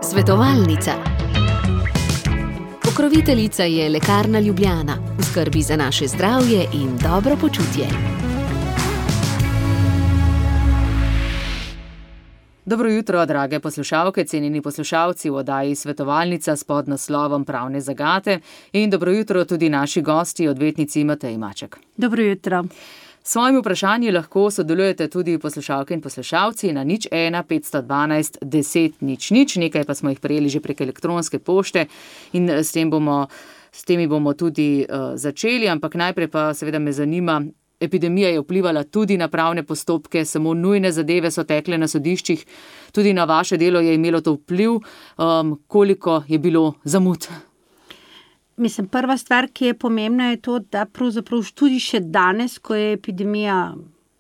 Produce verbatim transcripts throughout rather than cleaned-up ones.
Svetovalnica. Pokroviteljica je Lekarna Ljubljana, v skrbi za naše zdravje in dobro počutje. Dobro jutro, drage poslušalke, cenjeni poslušalci v oddaji Svetovalnica s podnaslovom Pravne zagate in dobro jutro tudi naši gosti, odvetnici Mateji Maček. Dobro jutro. S svojimi vprašanji lahko sodelujete tudi poslušalke in poslušalci na nič ena petsto dvanajst deset nič nič, nekaj pa smo jih prejeli že prek elektronske pošte in s tem bomo, s temi bomo tudi uh, začeli, ampak najprej pa seveda me zanima, epidemija je vplivala tudi na pravne postopke, samo nujne zadeve so tekle na sodiščih, tudi na vaše delo je imelo to vpliv, um, koliko je bilo zamud? Mislim, prva stvar, ki je pomembna, je to, da pravzaprav tudi še danes, ko je epidemija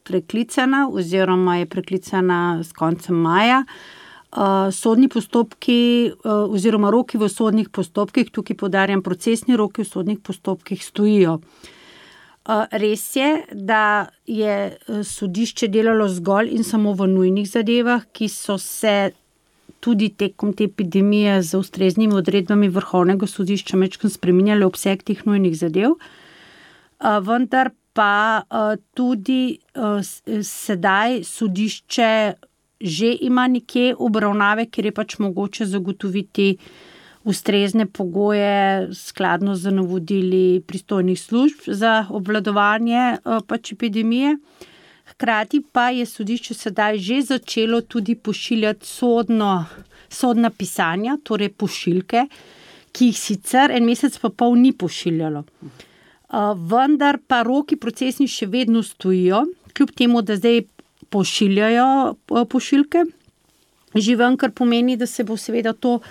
preklicana oziroma je preklicana s koncem maja, uh, sodni postopki uh, oziroma roki v sodnih postopkih, tukaj poudarjam, procesni roki v sodnih postopkih stojijo. Uh, res je, da je sodišče delalo zgolj in samo v nujnih zadevah, ki so se tudi tekom te epidemije z ustreznimi odredbami Vrhovnega sodišča mečkeno spreminjali obseg teh nujnih zadev, uh, vendar pa uh, tudi uh, sedaj sodišče že ima nekje obravnave, kjer je pač mogoče zagotoviti ustrezne pogoje skladno z navodili pristojnih služb za obvladovanje uh, pač epidemije. Hkrati pa je sodišče sedaj že začelo tudi pošiljati sodno, sodna pisanja, torej pošiljke, ki jih sicer en mesec pa pol ni pošiljalo. Uh, vendar pa roki procesni še vedno stojijo, kljub temu, da zdaj pošiljajo uh, pošiljke. Že ven, kar pomeni, da se bo seveda to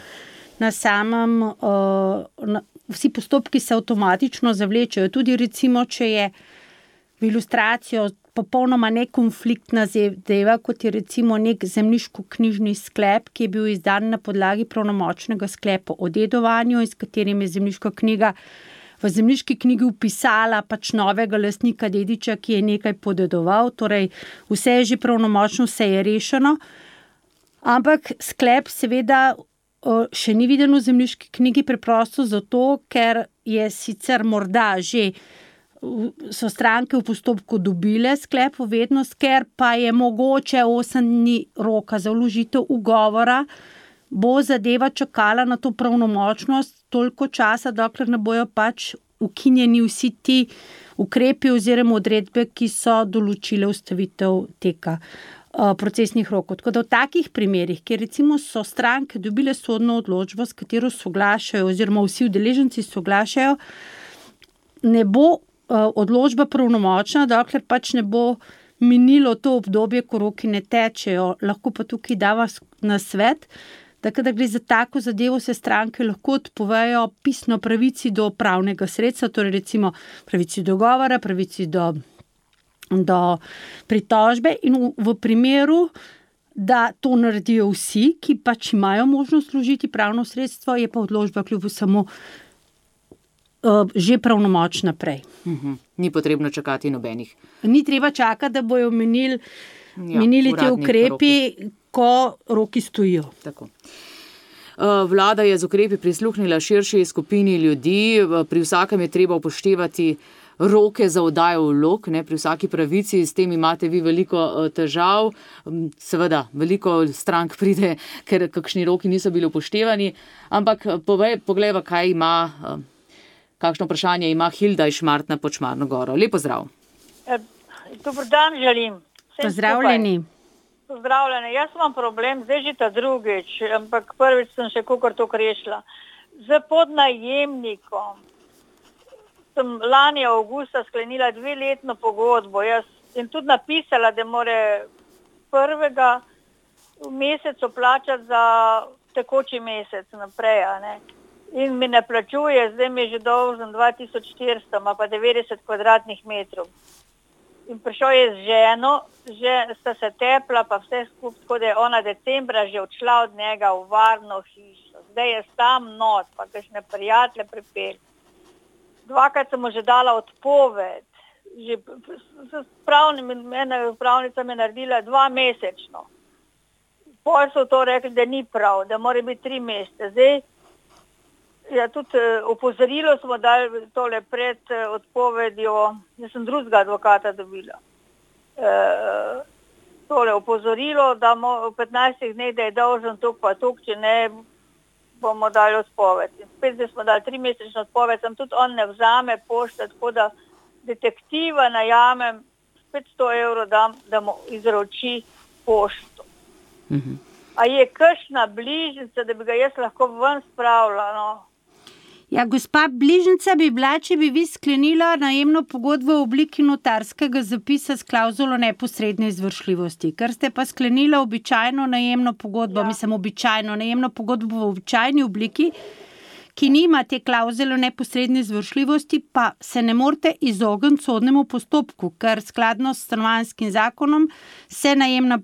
na samem, uh, na, vsi postopki se avtomatično zavlečajo. Tudi recimo, če je v ilustracijo popolnoma nekonfliktna zadeva, kot je recimo nek zemljiško-knjižni sklep, ki je bil izdan na podlagi pravnomočnega sklepa o dedovanju in s katerim je zemljiška knjiga v zemljiški knjigi vpisala pač novega lastnika dediča, ki je nekaj podedoval, torej vse je že pravnomočno, vse je rešeno, ampak sklep seveda še ni viden v zemljiški knjigi preprosto zato, ker je sicer morda že so stranke v postopku dobile sklep o vednost, ker pa je mogoče osem dni roka za vložitev ugovora, bo zadeva čakala na to pravnomočnost toliko časa, dokler ne bojo pač ukinjeni vsi ti ukrepi oziroma odredbe, ki so določile ustavitev teka uh, procesnih rokov. Tako da v takih primerih, kjer recimo so stranke dobile sodno odločbo, s katero soglašajo oziroma vsi udeleženci soglašajo, ne bo odločba pravnomočna, dokler pač ne bo minilo to obdobje, ko roki ne tečejo. Lahko pa tukaj dava na svet, da kada gre za tako zadevo, se stranke lahko odpovejo pisno pravici do pravnega sredstva, torej recimo pravici do govora, pravici do, do pritožbe in v, v primeru, da to naredijo vsi, ki pač imajo možnost vložiti pravno sredstvo, je pa odločba kljub samo že pravnomočna prej. Uhum. Ni potrebno čakati nobenih. Ni treba čakati, da bojo menili, ja, menili te ukrepi, roki. Ko roki stojijo. Tako. Vlada je z ukrepi prisluhnila širši skupini ljudi, pri vsakem je treba upoštevati roke za oddajo vlog, ne, pri vsaki pravici, s tem imate vi veliko težav, seveda veliko strank pride, ker kakšni roki niso bili upoštevani, ampak povej, poglejva, kaj ima Kakšno vprašanje ima Hilda iz Šmartna pod Šmarno goro. Lep pozdrav. E, dober dan želim. Pozdravljeni. Pozdravljeni. Jaz imam problem, zdaj že ta drugič, ampak prvič sem še kakor to rešila. Z podnajemnikom sem lani avgusta sklenila dveletno pogodbo jaz, in tudi napisala, da more prvega mesecu plačati za tekoči mesec naprej, a ne. In mi ne plačuje, zdaj mi je že dolžen dva tisoč štiristo, ima pa devetdeset kvadratnih metrov. In prišel je z ženo, že sta se tepla, pa vse skupaj, tako da je ona decembra že odšla od njega v varno hišo. Zdaj je sam not, pa kakšne prijatelje pripelj. Dvakrat sem mu že dala odpoved, že s pravnim, ena pravnica me naredila dva mesečno. pol so to rekli, da ni prav, da mora biti tri mesece. Zdaj, ja, tudi opozorilo smo dali tole pred odpovedjo, jaz sem drugega advokata dobila. E, tole opozorilo, da v petnajstih dneh, da je dolžen tuk pa tuk, če ne bomo dali odpoved. In spet smo dali tri mesečno odpoved, sem tudi on ne vzame pošte, tako da detektiva najamem, petsto evrov dam, da mu izroči pošto. Mhm. A je kakšna bližnica, da bi ga jaz lahko ven spravila, no? Ja, gospa, bližnica bi bila, če bi vi sklenila najemno pogodbo v obliki notarskega zapisa s klauzulo neposredne izvršljivosti. Ker ste pa sklenila običajno najemno pogodbo, ja. mislim običajno najemno pogodbo v običajni obliki, ki nima te klauzule neposredne izvršljivosti, pa se ne morete izogniti sodnemu postopku, ker skladno s stanovanjskim zakonom se najemna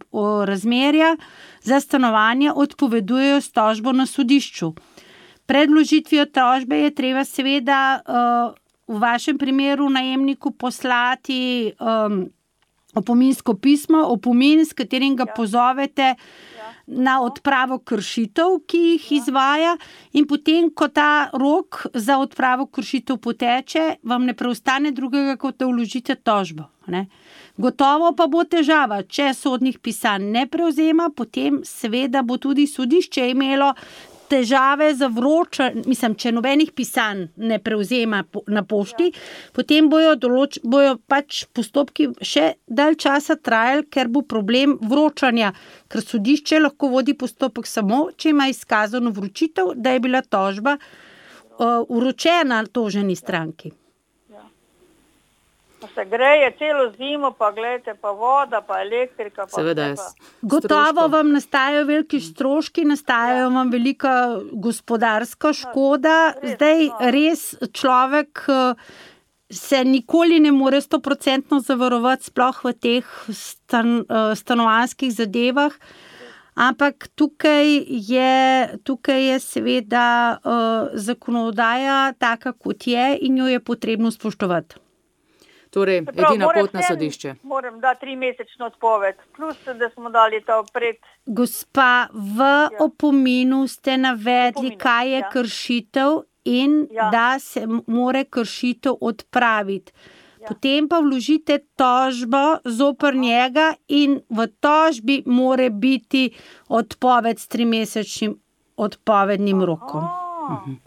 razmerja za stanovanje odpovedujejo s tožbo na sodišču. Pred vložitvijo tožbe je treba seveda uh, v vašem primeru najemniku poslati um, opominsko pismo, opomin, s katerim ga ja. pozovete ja. na odpravo kršitev, ki jih ja. izvaja, in potem, ko ta rok za odpravo kršitev poteče, vam ne preostane drugega, kot da vložite tožbo. Ne? Gotovo pa bo težava, če sodnih pisanj ne prevzema, potem seveda bo tudi sodišče imelo težave za vročanje, mislim, če nobenih pisanj ne prevzema na pošti, ja. potem bojo, določ, bojo pač postopki še dalj časa trajali, ker bo problem vročanja, ker sodišče lahko vodi postopek samo, če ima izkazano vročitev, da je bila tožba uh, vročena toženi stranki. Se greje celo zimo, pa gledajte, pa voda, pa elektrika. Pa Seveda je. Gotovo vam nastajajo veliki stroški, nastajajo vam velika gospodarska škoda. Zdaj res človek se nikoli ne more stoprocentno zavarovati, sploh v teh stan, stanovanjskih zadevah, ampak tukaj je, tukaj je seveda uh, zakonodaja taka, kot je, in jo je potrebno spoštovati. Torej, prav, edina pot na sodišče. Moram dati tri mesečno odpoved, plus, da smo dali to pred... Gospa, v ja. opominu ste navedli, opominu, kaj je ja. kršitev in ja. da se more kršitev odpraviti. Ja. Potem pa vložite tožbo zoper njega in v tožbi more biti odpoved s trimesečnim odpovednim rokom. Mhm.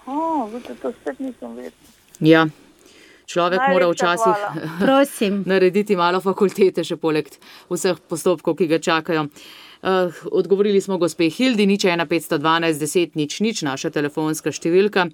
Oh, vidite, to spet nisem vedela. Ja. Človek Najlepša mora včasih narediti malo fakultete, še poleg vseh postopkov, ki ga čakajo. Uh, odgovorili smo gospe Hildi, nič ena petsto dvanajst deset nič nič, naša telefonska številka.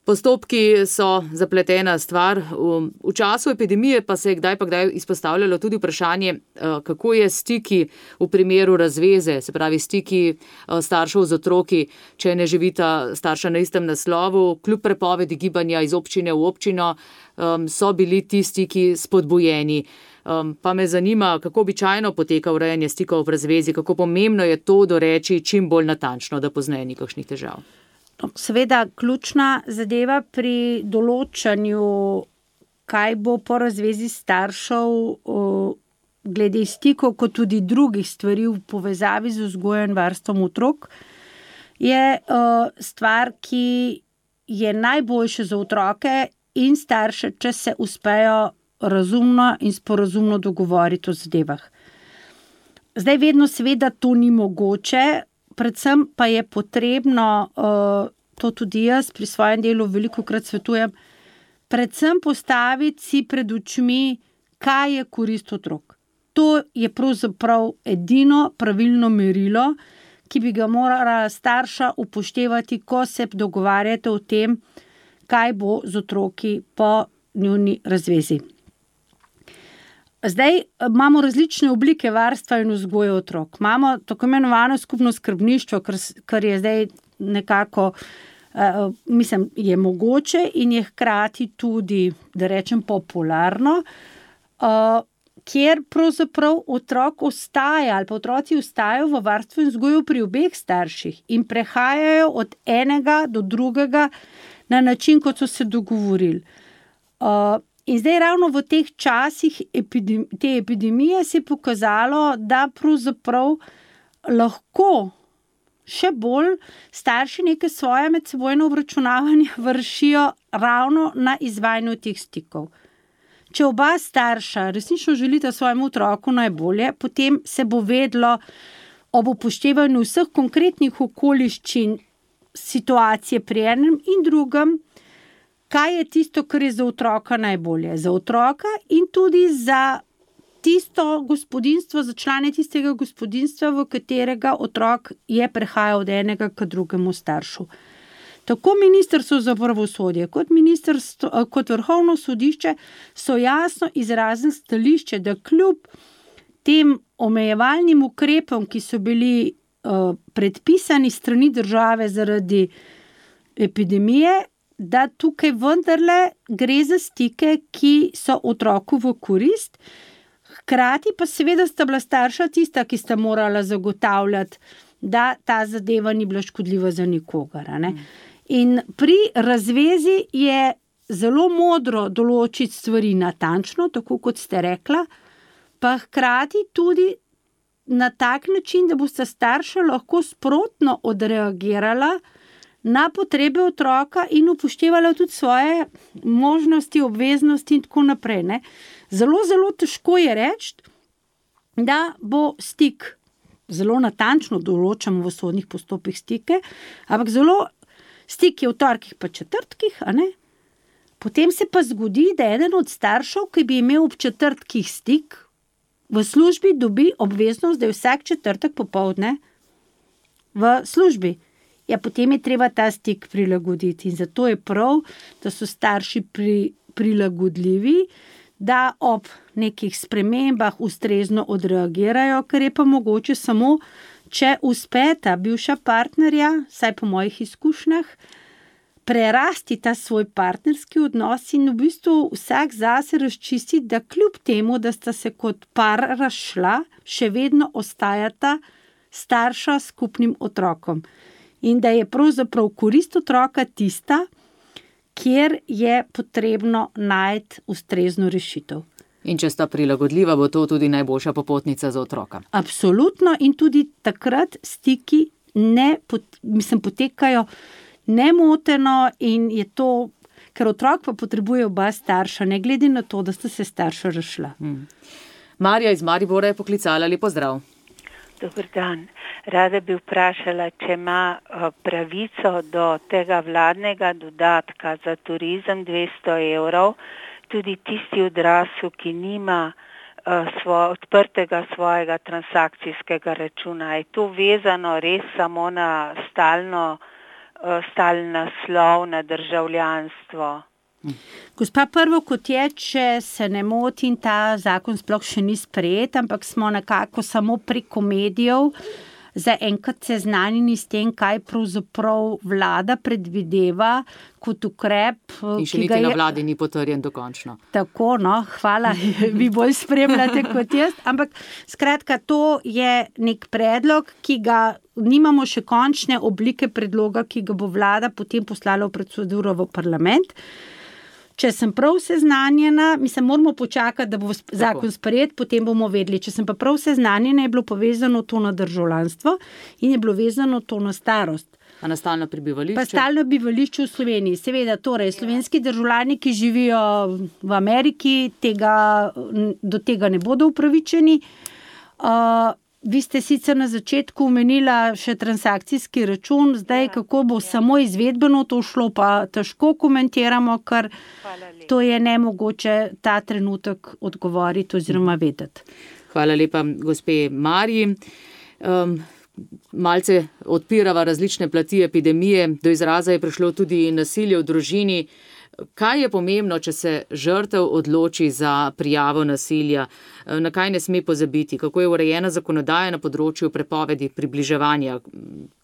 Postopki so zapletena stvar. V, v času epidemije pa se je kdaj pa kdaj izpostavljalo tudi vprašanje, uh, kako je stiki v primeru razveze, se pravi stiki uh, staršev z otroki, če ne živita starša na istem naslovu, kljub prepovedi gibanja iz občine v občino, um, so bili ti stiki spodbujeni. Um, pa me zanima, kako običajno poteka urejanje stikov v razvezi, kako pomembno je to doreči čim bolj natančno, da pozneje ni kakšnih težav. Seveda, ključna zadeva pri določanju, kaj bo po razvezi staršev glede stikov, kot tudi drugih stvari v povezavi z vzgojo in varstvom otrok, je stvar, ki je najboljša za otroke in starše, če se uspejo razumno in sporazumno dogovoriti o zadevah. Zdaj vedno seveda to ni mogoče, predvsem pa je potrebno, to tudi jaz pri svojem delu velikokrat svetujem, predvsem postaviti si pred očmi, kaj je korist otrok. To je pravzaprav edino pravilno merilo, ki bi ga morala starša upoštevati, ko se dogovarjate o tem, kaj bo z otroki po njuni razvezi. Zdaj imamo različne oblike varstva in vzgoje otrok. Imamo tako imenovano skupno skrbništvo, kar je zdaj nekako, uh, mislim, je mogoče in je hkrati tudi, da rečem, popularno, uh, kjer pravzaprav otrok ostaja ali pa otroci ostajajo v varstvu in vzgoju pri obeh starših in prehajajo od enega do drugega na način, kot so se dogovorili. Uh, In zdaj ravno v teh časih epidem, te epidemije se je pokazalo, da pravzaprav lahko še bolj starši neke svoje medsebojno obračunavanje vršijo ravno na izvajanju teh stikov. Če oba starša resnično želita svojemu otroku najbolje, potem se bo vedlo ob upoštevanju vseh konkretnih okoliščin situacije pri enem in drugem, kaj je tisto, kar je za otroka najbolje. Za otroka in tudi za tisto gospodinjstvo, za člane tistega gospodinjstva, v katerega otrok je prehajal od enega k drugemu staršu. Tako Ministrstvo za pravosodje kot, kot Vrhovno sodišče so jasno izrazili stališče, da kljub tem omejevalnim ukrepom, ki so bili uh, predpisani strani države zaradi epidemije, da tukaj vendarle gre za stike, ki so otroku v korist. Hkrati pa seveda sta bila starša tista, ki sta morala zagotavljati, da ta zadeva ni bila škodljiva za nikogar. Ne? In pri razvezi je zelo modro določiti stvari natančno, tako kot ste rekla, pa hkrati tudi na tak način, da bosta starša lahko sprotno odreagirala na potrebe otroka in upoštevala tudi svoje možnosti, obveznosti in tako naprej. Ne? Zelo, zelo težko je reči, da bo stik, zelo natančno določamo v sodnih postopkih stike, ampak zelo stik je v torkih pa četrtkih, a ne? Potem se pa zgodi, da eden od staršev, ki bi imel ob četrtkih stik, v službi dobi obveznost, da je vsak četrtek popoldne v službi. Ja, potem je treba ta stik prilagoditi in zato je prav, da so starši pri, prilagodljivi, da ob nekih spremembah ustrezno odreagirajo, ker je pa mogoče samo, če uspeta bivša partnerja, saj po mojih izkušnjah, prerasti ta svoj partnerski odnos in v bistvu vsak zase razčisti, da kljub temu, da sta se kot par razšla, še vedno ostajata starša s skupnim otrokom. In da je pravzaprav korist otroka tista, kjer je potrebno najti ustrezno rešitev. In če sta prilagodljiva, bo to tudi najboljša popotnica za otroka. Absolutno in tudi takrat stiki ne, mislim, potekajo nemoteno in je to, ker otrok pa potrebuje oba starša, ne glede na to, da sta se starša razšla. Hmm. Marja iz Maribora je poklicala, lepo zdrav. Dober dan. Rada bi vprašala, če ima pravico do tega vladnega dodatka za turizem dvesto evrov, tudi tisti odrasel, ki nima uh, svo, odprtega svojega transakcijskega računa. Je to vezano res samo na stalno, uh, stalen naslov, na državljanstvo? Gospa, prvo kot je, če se ne motim, ta zakon sploh še ni sprejet, ampak smo nekako samo preko medijev zaenkrat seznanjeni s tem, kaj pravzaprav vlada predvideva kot ukrep. In še niti na vladi ni potrjen dokončno. Tako, no, hvala, vi bolj spremljate kot jaz. Ampak skratka, to je nek predlog, ki ga nimamo še končne oblike predloga, ki ga bo vlada potem poslala v proceduro v parlament. Če sem prav seznanjena, mislim, moramo počakati, da bo zakon sprejet, potem bomo vedeli. Če sem pa prav seznanjena, je bilo povezano to na državljanstvo in je bilo vezano to na starost. A na stalno prebivališče? Pa stalno bivališče v Sloveniji. Seveda, torej, slovenski državljani, ki živijo v Ameriki, tega, do tega ne bodo upravičeni. Uh, Vi ste sicer na začetku omenila še transakcijski račun, zdaj kako bo samo izvedbeno to šlo, pa težko komentiramo, ker to je nemogoče ta trenutek odgovoriti oziroma vedeti. Hvala lepa, gospe Marji. Um, malce odpirava različne plati epidemije, do izraza je prišlo tudi nasilje v družini. Kaj je pomembno, če se žrtev odloči za prijavo nasilja? Na kaj ne sme pozabiti? Kako je urejena zakonodaja na področju prepovedi približevanja?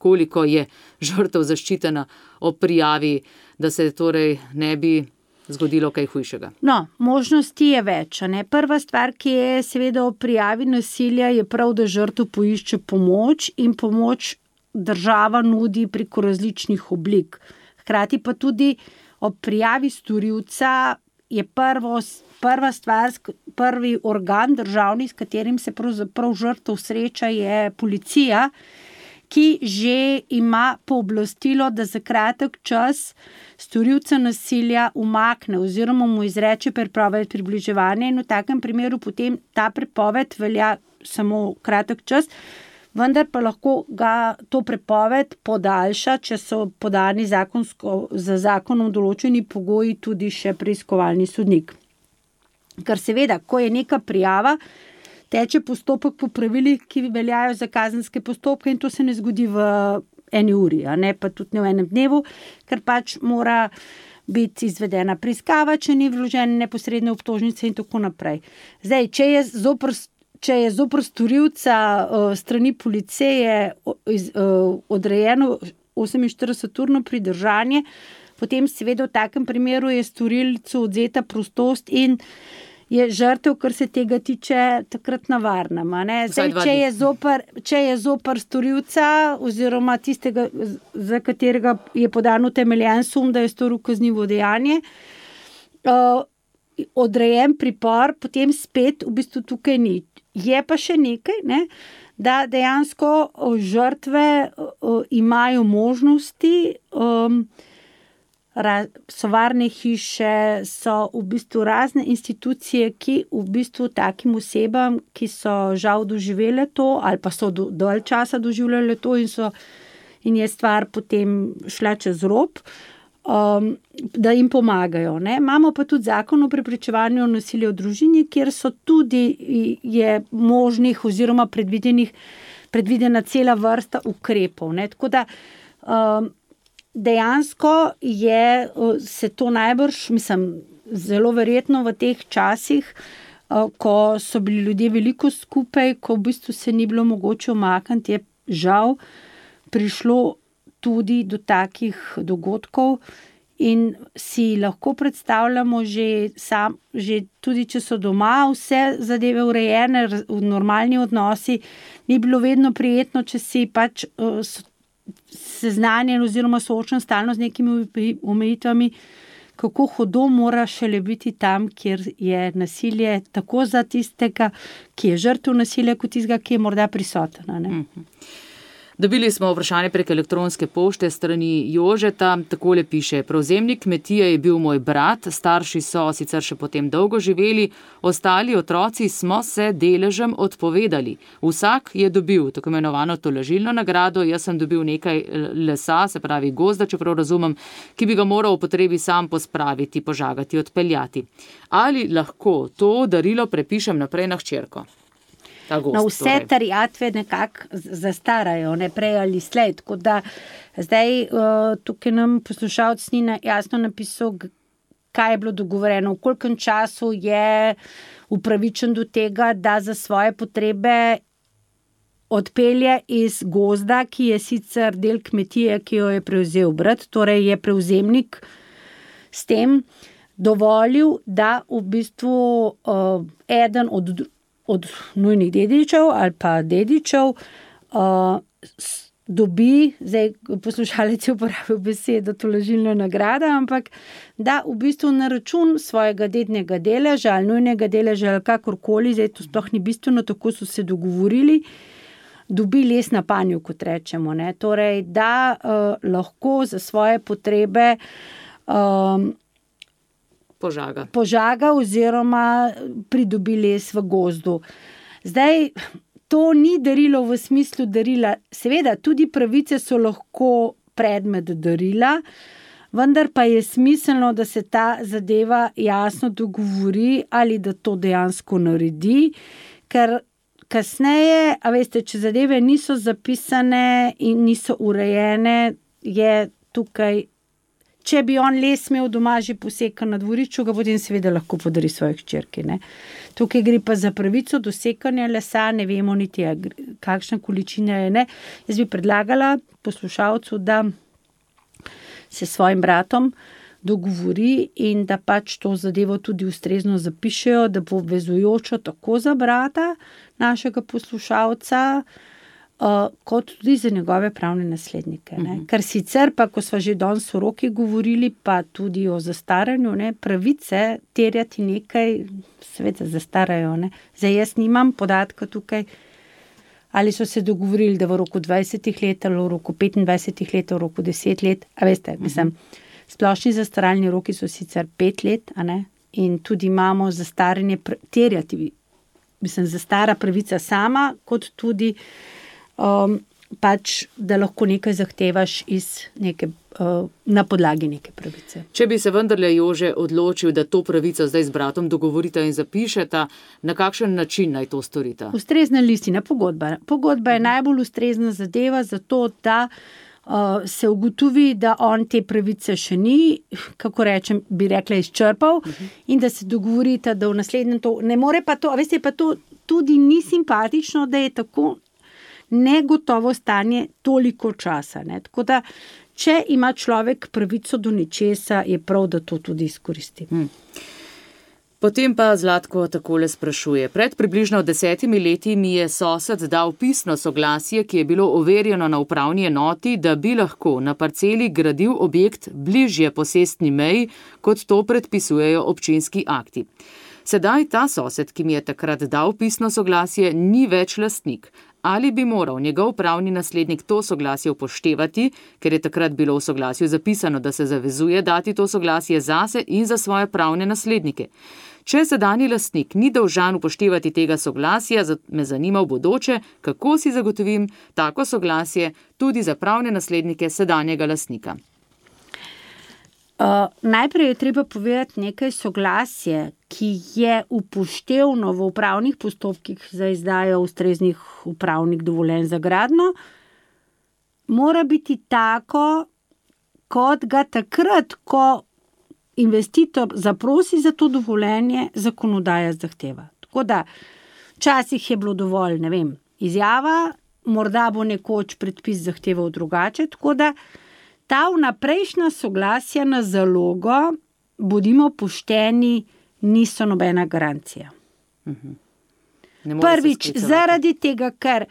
Koliko je žrtev zaščitena ob prijavi, da se torej ne bi zgodilo kaj hujšega? No, možnosti je več. Ne? Prva stvar, ki je seveda ob prijavi nasilja, je prav, da žrtev poišče pomoč in pomoč država nudi preko različnih oblik. Hkrati pa tudi ob prijavi storilca je prvo, prva stvar, prvi organ državni, s katerim se pravzaprav žrtev sreča, je policija, ki že ima pooblastilo, da za kratek čas storilca nasilja umakne oziroma mu izreče prepoved približevanja in v takem primeru potem ta prepoved velja samo kratek čas, vendar pa lahko ga to prepoved podaljša, če so podani zakonsko, za zakonom določeni pogoji tudi še preiskovalni sodnik. Ker seveda, ko je neka prijava, teče postopek po pravilih, ki veljajo za kazenske postopke in to se ne zgodi v eni uri, a ne pa tudi ne v enem dnevu, ker pač mora biti izvedena preiskava, če ni vložene neposredne obtožnice in tako naprej. Zdaj, če je zoper, če je zoper storilca uh, strani policije iz, uh, odrejeno oseminštirideseturno pridržanje, potem seveda v takem primeru je storilcu odzeta prostost in je žrtev, kar se tega tiče, takrat na varnem. Zdaj, če je zoper, če je zoper storilca oziroma tistega, za katerega je podan utemeljen sum, da je storil kaznivo dejanje, uh, odrejen pripor, potem spet v bistvu tukaj ni. Je pa še nekaj, ne, da dejansko žrtve uh, imajo možnosti, um, so varne hiše, so v bistvu razne institucije, ki v bistvu takim osebam, ki so žal doživele to ali pa so do, dolj časa doživljale to in, so, in je stvar potem šla čez rob, um, da jim pomagajo. Ne. Imamo pa tudi zakon o preprečevanju nasilja v družini, kjer so tudi je možnih oziroma predvidenih, predvidena cela vrsta ukrepov. Ne. Tako da um, dejansko je se to najbrž, mislim, zelo verjetno v teh časih, ko so bili ljudje veliko skupaj, ko v bistvu se ni bilo mogoče umakniti, je žal prišlo tudi do takih dogodkov in si lahko predstavljamo že, sam, že tudi, če so doma vse zadeve urejene, v normalni odnosi, ni bilo vedno prijetno, če si pač seznanjen oziroma soočen stalno z nekimi omejitvami, kako hudo mora šele biti tam, kjer je nasilje tako za tistega, ki je žrtev nasilja, kot tistega, ki je morda prisoten. Ne? Mhm. Dobili smo vprašanje prek elektronske pošte strani Jožeta, takole piše: prevzemnik kmetije je bil moj brat, starši so sicer še potem dolgo živeli, ostali otroci smo se deležem odpovedali. Vsak je dobil tako imenovano tolažilno nagrado, jaz sem dobil nekaj lesa, se pravi gozda, čeprav razumem, ki bi ga moral v potrebi sam pospraviti, požagati, odpeljati. Ali lahko to darilo prepišem naprej na hčerko? Gost, no, vse torej. Terjatve nekako zastarajo, ne prej ali slej. Tako da zdaj uh, tukaj nam poslušalec ni jasno napisal, kaj je bilo dogovorjeno, v kolikem času je upravičen do tega, da za svoje potrebe odpelje iz gozda, ki je sicer del kmetije, ki jo je prevzel brat, torej je prevzemnik s tem dovolil, da v bistvu uh, eden od od nujnih dedičev ali pa dedičev uh, dobi, zdaj poslušalec je uporabil besedo tolažilna nagrada, ampak da v bistvu na račun svojega dednega deleža ali nujnega deleža ali kakorkoli, zdaj to sploh ni bistveno, tako so se dogovorili, dobi les na panju, kot rečemo. Ne? Torej, da uh, lahko za svoje potrebe um, Požaga. požaga oziroma pridobi les v gozdu. Zdaj, to ni darilo v smislu darila. Seveda, tudi pravice so lahko predmet darila, vendar pa je smiselno, da se ta zadeva jasno dogovori ali da to dejansko naredi, ker kasneje, a veste, če zadeve niso zapisane in niso urejene, je tukaj. Če bi on les imel doma že posekan na dvorišču, ga potem seveda lahko podari svoji hčerki. Ne? Tukaj gre pa za pravico do sekanja lesa, ne vemo niti, kakšna količina je. Ne? Jaz bi predlagala poslušalcu, da se s svojim bratom dogovori in da pač to zadevo tudi ustrezno zapišejo, da bo obvezujočo tako za brata našega poslušalca, uh, kot tudi za njegove pravne naslednike. Ne. Ker sicer pa, ko smo že danes o roki govorili, pa tudi o zastaranju, ne, pravice terjati nekaj, seveda zastarajo. Ne. Zdaj jaz nimam podatka tukaj, ali so se dogovorili, da v roku dvajsetih let, ali v roku petindvajsetih let, v roku deset let, a veste, mislim, splošni zastaralni roki so sicer pet let, a ne, in tudi imamo zastaranje terjati, mislim, zastara pravica sama, kot tudi um, pač, da lahko nekaj zahtevaš iz neke, uh, na podlagi neke pravice. Če bi se vendarle Jože odločil, da to pravico zdaj z bratom dogovorita in zapišeta, na kakšen način naj to storita? Ustrezna listina, pogodba. Pogodba je najbolj ustrezna zadeva za to, da uh, se ugotovi, da on te pravice še ni, kako rečem, bi rekla, izčrpal, uh-huh. in da se dogovorita, da v naslednjem to ne more pa to, a veste, pa to tudi ni simpatično, da je tako negotovo stanje toliko časa. Ne? Tako da, če ima človek pravico do nečesa, je prav, da to tudi izkoristi. Hmm. Potem pa Zlatko takole sprašuje. Pred približno desetimi leti mi je sosed dal pisno soglasje, ki je bilo overjeno na upravni enoti, da bi lahko na parceli gradil objekt bližje posestni meji, kot to predpisujejo občinski akti. Sedaj ta sosed, ki mi je takrat dal pisno soglasje, ni več lastnik. Ali bi moral njegov pravni naslednik to soglasje upoštevati, ker je takrat bilo v soglasju zapisano, da se zavezuje dati to soglasje zase in za svoje pravne naslednike. Če sedanji lastnik ni dolžan upoštevati tega soglasja, me zanima v bodoče, kako si zagotovim tako soglasje tudi za pravne naslednike sedanjega lastnika. Uh, najprej je treba povedati nekaj soglasje, ki je upoštevno v upravnih postopkih za izdajo ustreznih upravnih dovoljenj za gradnjo, mora biti tako, kot ga takrat, ko investitor zaprosi za to dovoljenje, zakonodaja zahteva. Tako da, včasih je bilo dovolj, ne vem, izjava, morda bo nekoč predpis zahteval drugače, tako da ta vnaprejšnja soglasja na zalogo, bodimo pošteni, niso nobena garancija. Uh-huh. Prvič, zaradi tega, ker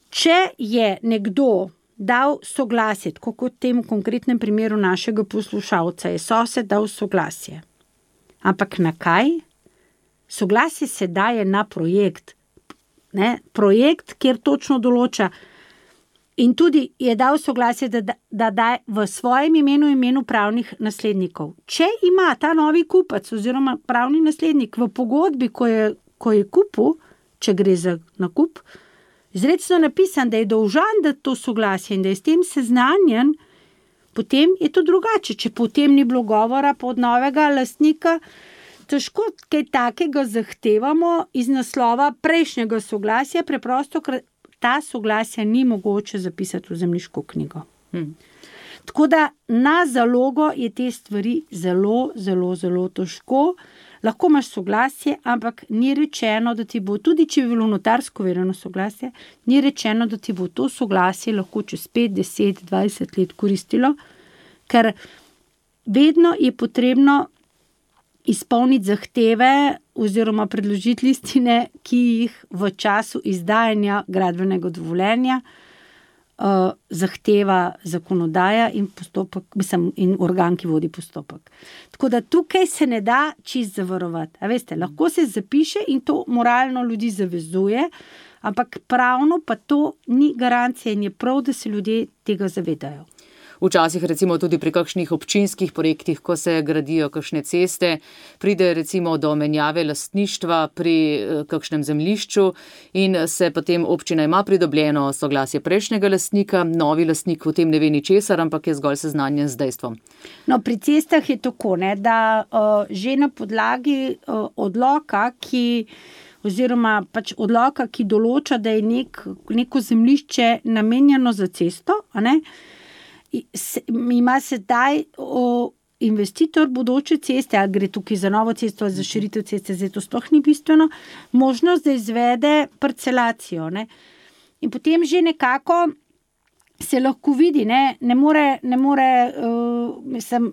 če je nekdo dal soglasje, tako kot v tem konkretnem primeru našega poslušalca, je sosed dal soglasje. Ampak na kaj? Soglasje se daje na projekt. Ne? Projekt, kjer točno določa. In tudi je dal soglasje, da, da, da daje v svojem imenu imenu pravnih naslednikov. Če ima ta novi kupac oziroma pravni naslednik v pogodbi, ko je, ko je kupil, če gre za nakup, izrecno napisan, da je dolžan dati to soglasje in da je s tem seznanjen, potem je to drugače. Če potem ni bilo govora pod novega lastnika, težko kaj takega zahtevamo iz naslova prejšnjega soglasja, preprosto, ker ta soglasja ni mogoče zapisati v zemljiško knjigo. Hmm. Tako da na zalogo je te stvari zelo, zelo, zelo težko. Lahko imaš soglasje, ampak ni rečeno, da ti bo, tudi če je bilo notarsko verjeno soglasje, ni rečeno, da ti bo to soglasje lahko čez pet, deset, dvajset let koristilo, ker vedno je potrebno izpolniti zahteve oziroma predložiti listine, ki jih v času izdajanja gradbenega dovoljenja uh, zahteva zakonodaja in postopek, mislim, in organ, ki vodi postopek. Tako da tukaj se ne da čist zavarovati. A veste, lahko se zapiše in to moralno ljudi zavezuje, ampak pravno pa to ni garancija in je prav, da se ljudje tega zavedajo. Včasih recimo tudi pri kakšnih občinskih projektih, ko se gradijo kakšne ceste, pride recimo do menjave lastništva pri kakšnem zemljišču in se potem občina ima pridobljeno soglasje prejšnjega lastnika, novi lastnik v tem ne ve ničesar, ampak je zgolj seznanjen z dejstvom. No, pri cestah je tako, ne, da uh, že na podlagi uh, odloka, ki oziroma pač odloka, ki določa, da je nek, neko zemljišče namenjeno za cesto, a ne, ima sedaj o, investitor bodoče ceste, ali gre tukaj za novo cesto ali za širitev ceste, zdaj to sploh ni bistveno, možnost, da izvede parcelacijo. Ne. In potem že nekako se lahko vidi, ne, ne more, ne more uh, mislim,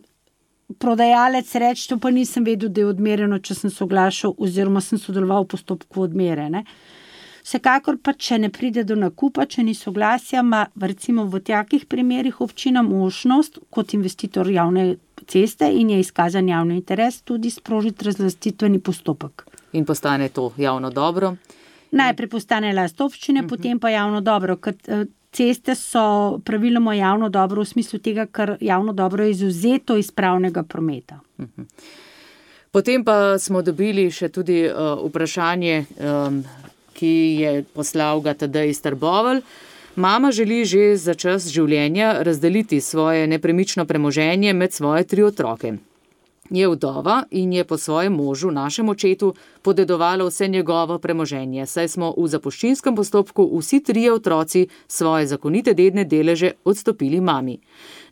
prodajalec reči, to pa nisem vedel, da je odmerjeno, če sem soglašal oziroma sem sodeloval v postopku odmere. Ne. Vsekakor pa, če ne pride do nakupa, če ni soglasja, ima recimo v takih primerih občina možnost kot investitor javne ceste in je izkazan javni interes tudi sprožiti razlastitveni postopek. In postane to javno dobro? Najprej postane last občine, uh-huh. potem pa javno dobro, ker ceste so praviloma javno dobro v smislu tega, ker javno dobro je izuzeto iz pravnega prometa. Uh-huh. Potem pa smo dobili še tudi uh, vprašanje, um, ki je poslal ga Tadej iz Trbovelj. Mama želi že za čas življenja razdeliti svoje nepremično premoženje med svoje tri otroke. Je vdova in je po svojem možu, našem očetu, podedovala vse njegovo premoženje, saj smo v zapuščinskem postopku vsi trije otroci svoje zakonite dedne deleže odstopili mami.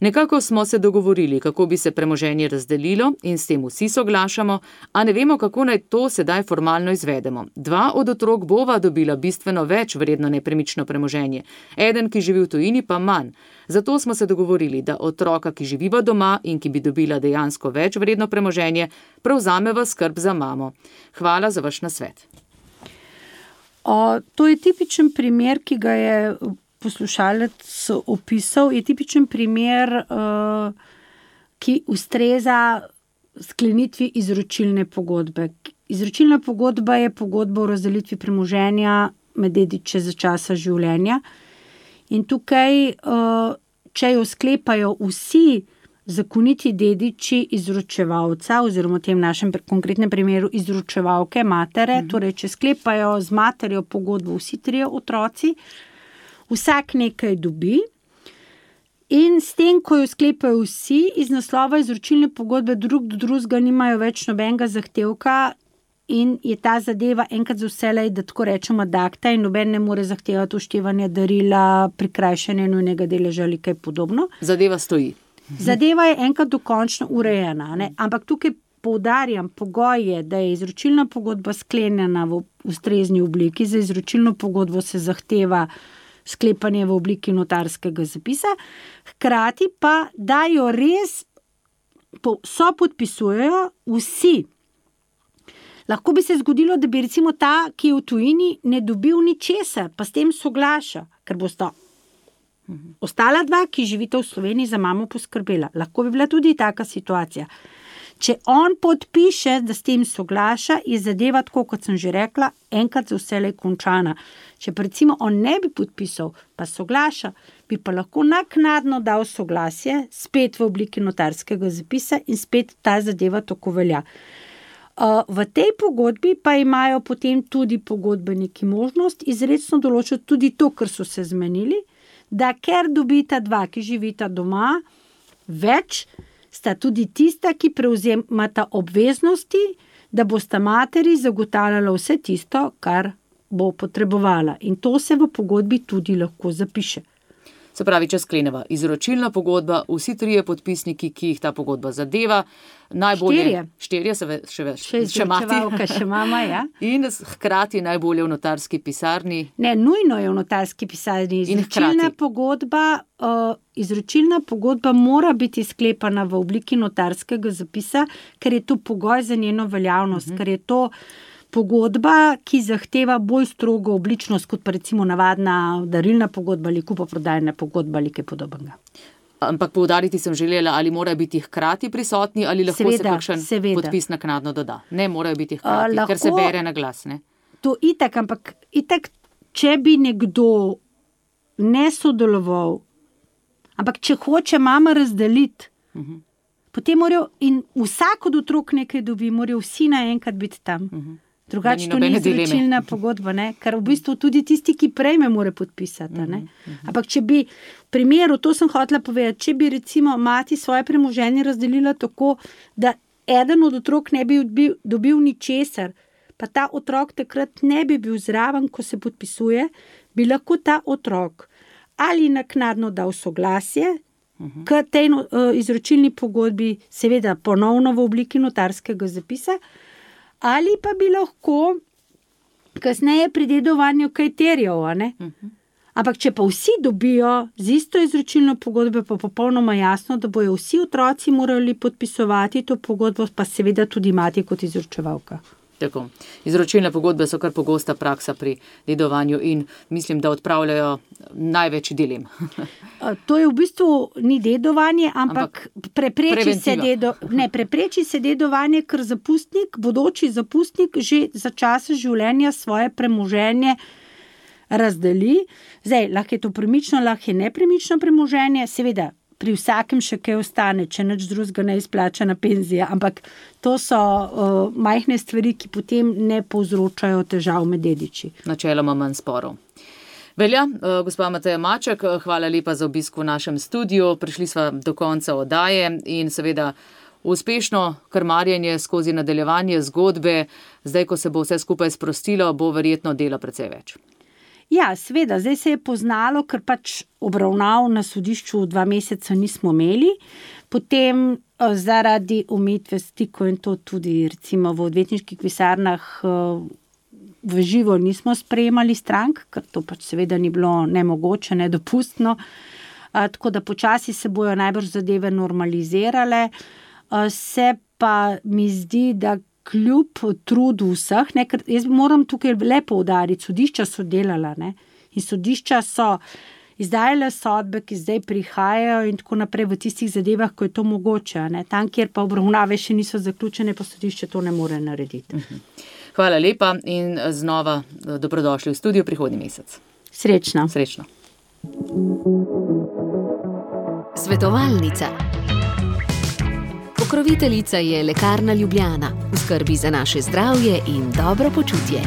Nekako smo se dogovorili, kako bi se premoženje razdelilo in s tem vsi soglašamo, a ne vemo, kako naj to sedaj formalno izvedemo. Dva od otrok bova dobila bistveno več vredno nepremično premoženje, eden, ki živi v tujini, pa manj. Zato smo se dogovorili, da otroka, ki živiva doma in ki bi dobila dejansko več vredno premoženje, prevzameva skrb za mamo. Hvala za vaš nasvet. O, to je tipičen primer, ki ga je poslušalec opisal, je tipičen primer, uh, ki ustreza sklenitvi izročilne pogodbe. Izročilna pogodba je pogodba o razdelitvi premoženja med dediče za časa življenja. In tukaj, če jo sklepajo vsi zakoniti dediči izročevalca, oziroma v tem našem konkretnem primeru izročevalke matere, mm. torej če sklepajo z materjo pogodbo vsi trije otroci, vsak nekaj dobi in s tem, ko jo sklepajo vsi, iz naslova izročilne pogodbe drug do drugega nimajo več nobenega zahtevka, in je ta zadeva enkrat za vselej, da tako rečemo, ad acta in noben ne more zahtevati uštevanja darila, prikrajšanja nujnega deleža ali kaj podobno. Zadeva stoji. Zadeva je enkrat dokončno urejena, ne? Ampak tukaj poudarjam, pogoj je, da je izročilna pogodba sklenjena v ustrezni obliki. Za izročilno pogodbo se zahteva sklepanje v obliki notarskega zapisa, hkrati pa, da jo res so podpisujejo vsi. Lahko bi se zgodilo, da bi recimo ta, ki je v tujini, ne dobil ničesar, pa s tem soglaša, ker bosta mhm. ostala dva, ki živita v Sloveniji, za mamo poskrbela. Lahko bi bila tudi taka situacija. Če on podpiše, da s tem soglaša, je zadeva, tako kot sem že rekla, enkrat za vselej končana. Če pa recimo on ne bi podpisal, pa soglaša, bi pa lahko naknadno dal soglasje, spet v obliki notarskega zapisa in spet ta zadeva tako velja. V tej pogodbi pa imajo potem tudi pogodbeniki možnost izrecno določiti tudi to, kar so se zmenili, da ker dobita dva, ki živita doma, več, sta tudi tista, ki prevzemata obveznosti, da bosta materi zagotavljala vse tisto, kar bo potrebovala. In to se v pogodbi tudi lahko zapiše. Se pravi, če skleneva izročilna pogodba, vsi trije podpisniki, ki jih ta pogodba zadeva, najbolje... Štirje. Štirje, se ve, še več. Še izročevalka, še mama, ja. In hkrati najbolje v notarski pisarni. Ne, nujno je v notarski pisarni. Izročilna pogodba, uh, izročilna pogodba mora biti sklepana v obliki notarskega zapisa, ker je to pogoj za njeno veljavnost, uh-huh. ker je to pogodba, ki zahteva bolj strogo obličnost, kot pa recimo navadna darilna pogodba ali kupoprodajna pogodba ali kaj podobnega. Ampak poudariti sem želela, ali morajo biti hkrati prisotni, ali lahko seveda, se kakšen seveda. podpis naknadno doda. Ne, morajo biti hkrati, uh, lahko, ker se bere na glas. Ne? To itak, ampak itak, če bi nekdo ne sodeloval, ampak če hoče mama razdeliti, uh-huh. potem morajo, in vsak od otrok nekaj dobi, morajo vsi naenkrat biti tam. Uh-huh. Drugače to ni izročilna pogodba, ne? Ker v bistvu tudi tisti, ki prejme, mora podpisati. Ne? Uh-huh. Ampak če bi, v primeru, to sem hotela povedati, če bi recimo mati svoje premoženje razdelila tako, da eden od otrok ne bi dobil, dobil ničesar, pa ta otrok takrat ne bi bil zraven, ko se podpisuje, bi lahko ta otrok ali naknadno dal soglasje, uh-huh. k tej uh, izročilni pogodbi, seveda ponovno v obliki notarskega zapisa, ali pa bi lahko kasneje pri dedovanju kaj terjal, ne? Uh-huh. Ampak če pa vsi dobijo z isto izročilno pogodbo, pa popolnoma jasno, da bojo vsi otroci morali podpisovati to pogodbo, pa seveda tudi mati kot izročevalka. Tako. Izročilne pogodbe so kar pogosta praksa pri dedovanju in mislim, da odpravljajo največ dilem. To je v bistvu ni dedovanje, ampak, ampak prepreči, se dedo, ne, prepreči se dedovanje, ker zapustnik, bodoči zapustnik že za časa življenja svoje premoženje razdeli. Zdaj, lahko je to premično, lahko je nepremično premoženje, seveda pri vsakem še kaj ostane, če nič drugega ne izplačana penzija, ampak to so uh, majhne stvari, ki potem ne povzročajo težav med dediči. Načeloma manj sporov. Velja, uh, gospa Mateja Maček, hvala lepa za obisk v našem studiu, prišli sva do konca oddaje in seveda uspešno krmarjenje skozi nadaljevanje zgodbe, zdaj, ko se bo vse skupaj sprostilo, bo verjetno dela precej več. Ja, seveda, zdaj se je poznalo, ker pač obravnav na sodišču dva meseca nismo imeli, potem zaradi omejitve stikov in to tudi recimo v odvetniških pisarnah v živo nismo sprejemali strank, ker to pač seveda ni bilo nemogoče, nedopustno, tako da počasi se bojo najbrž zadeve normalizirale, se pa mi zdi, da kljub trudu vseh, ne, ker jaz moram tukaj le poudariti, sodišča so delala, ne, in sodišča so izdajale sodbe, ki zdaj prihajajo in tako naprej v tistih zadevah, ko je to mogoče, ne, tam, kjer pa obravnave še niso zaključene, pa sodišče to ne more narediti. Hvala lepa in znova dobrodošli v studiu prihodnji mesec. Srečno. Srečno. Svetovalnica. Pokroviteljica je Lekarna Ljubljana, v skrbi za naše zdravje in dobro počutje.